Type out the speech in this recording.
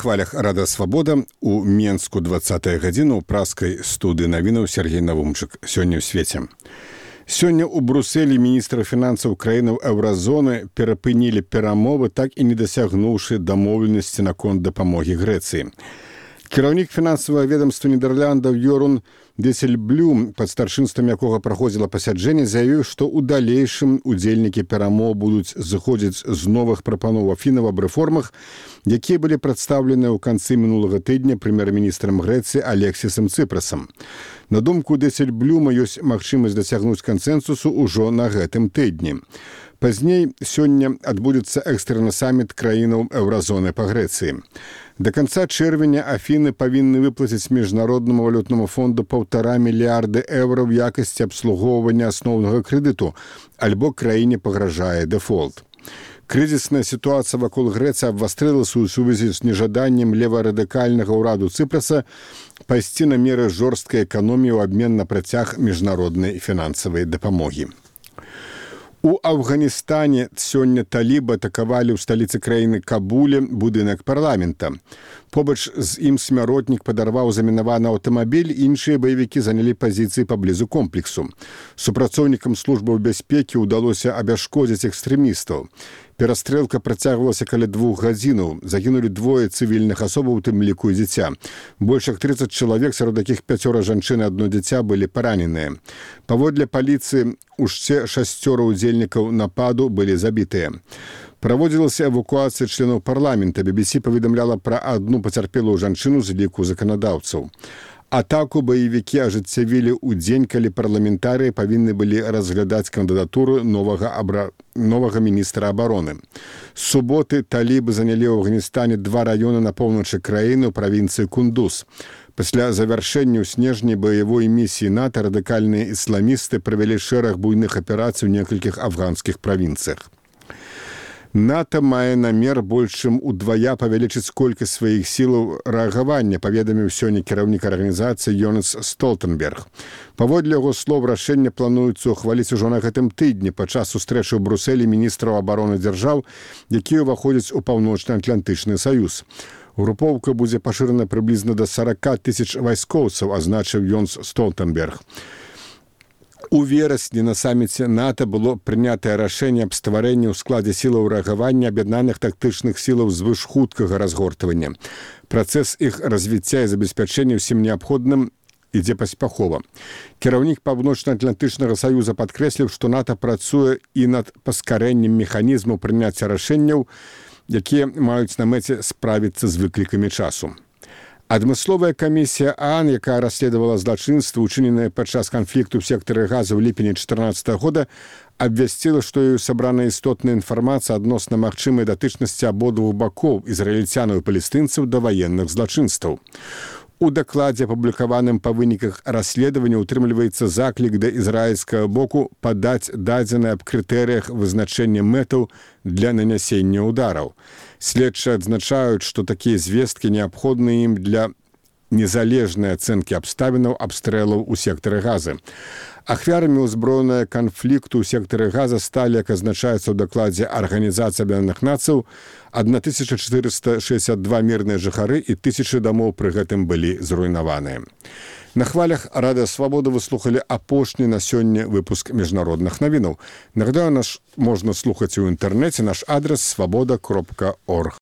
Хвалях Рада Свабода у Менску 20-я гадзіна ў праскай студыі навінаў Сергей Навумчык. Сёння ў свеце. Сёння ў Брусэлі міністра фінансаў краінаў еўразоны перапынілі перамовы, так і не дасягнуўшы дамоўленасці наконт дапамогі Грэцыі. Кіраўнік фінансавага ведамства Нідерландаў Йорун Десельблюм, пад старшынствам якога праходзіла пасяджэнне, заявіў, што ў далейшым удзельнікі перамоў будуць зыходзіць з новых прапаноў Афінаў аб рэформах, якія былі прадстаўлены ў канцы мінулага тыдня прэм'ер-міністрам Грэцыі Алексісам Цыпрасам. На думку Десельблюма, ёсць магчымасць дасягнуць кансэнсусу ўжо на гэтым тыдні. Пазней сёння адбудзецца экстраны саміт краінаў еўразоны па Грэцыі. Да канца чэрвеня Афіны павінны выплаціць Міжнароднаму валютнаму фонду 1,5 мільярда еўра ў якасці абслугоўвання асноўнага крэдыту, альбо краіне пагражае дэфолт. Крызісная сітуацыя вакол Грэцыі абвастрылася ў сувязі з нежаданнем леварадыкальнага ўраду Цыпраса пайсці на меры жорсткай эканоміі ў абмен на працяг міжнароднай фінансавай дапамогі. У Афганістане сёння талібы атакавалі ў сталіцы краіны Кабуле будынак парламента. Побач з ім смяротнік падарваў замінаваны аўтамабіль, іншыя баевікі занялі пазіцыі паблізу комплексу. Супрацоўнікам службаў бяспекі ўдалося абясшкодзіць экстрэмістаў. Перастрэлка працягвалася каля 2 гадзінаў. Загінулі 2 цывільных асобаў, у тым ліку і дзіця. Больш як 30 чалавек, сярод якіх 5 жанчын і 1 дзіця, былі параненыя. Паводле паліцыі, уще 6 удзельнікаў нападу былі забітыя. Праводзілася эвакуацыя членаў парламента. BBC паведамляла пра адну пацярпелую жанчыну з ліку заканадаўцаў. Атаку баевікі ажыццявілі ў дзень, калі парламентарыі павінны былі разглядаць кандыдатуру новага міністра абароны. З суботы талібы занялі ў Афганістане 2 раёны на поўначы краіны ў правінцыі Кундуз. Пасля завяршэння ў снежні баявой місіі НАТО радыкальныя ісламісты правялі шэраг буйных аперацый у некалькіх афганскіх правінцыях. НАТО мае намер больш чым удвая павялічыць колькасць сваіх сілаў рэагавання, паведаміў сёння кіраўнік арганізацыі Йонас Столтенберг. Паводле яго слоў, рашэнне плануецца ўхваліць ужо на гэтым тыдні падчас сустрэчы ў Брусэлі міністраў абароны дзяржаў, якія ўваходзяць у Паўночна-Атлантычны саюз. Групоўка будзе пашырана прыблізна да 40 000 вайскоўцаў, азначыў Йонас Столтенберг. У верасні на саміце НАТО было прынятае рашэнне аб стварэнні ў складзе сілаў рэагавання аб'яднаных тактычных сілаў звышхуткага разгортвання. Працэс іх развіцця і забеспячэння ўсім неабходным ідзе паспяхова. Кіраўнік Паўночна-Атлантычнага саюза падкрэсліў, што НАТО працуе і над паскарэннем механізму прыняцця рашэнняў, якія маюць на мэце справіцца з выклікамі часу. Адмысловая камісія ААН, якая расследавала злачынствы, учыненыя падчас канфлікту ў сектары газа ў ліпені 2014 года, абвясціла, што ёй сабрана істотная інфармацыя адносна магчымай датычнасці абодвух бакоў, ізраільцянаў і палестынцаў, да ваенных злачынстваў. У дакладзе, апублікаваным па выніках расследавання, утрымліваецца заклік да ізраільскага боку падаць дадзеныя аб крытэрыях вызначэння мэтаў для нанясення ўдараў. Следчыя адзначаюць, што такія звесткі неабходны ім для незалежнай ацэнкі абставінаў абстрэлаў у сектары газа. Ахвярамі ўзброенага канфлікту ў сектары газа сталі, як азначаецца ў дакладзе Арганізацыі Аб'яднаных Нацыяў, 1462 мірныя жыхары і 1000 дамоў пры гэтым былі зруйнаваныя. На хвалях Рада Свабода вы слухалі апошні на сёння выпуск міжнародных навінаў. Нагадаю, нас можна слухаць у інтэрнэце, наш адрес свабода.орг.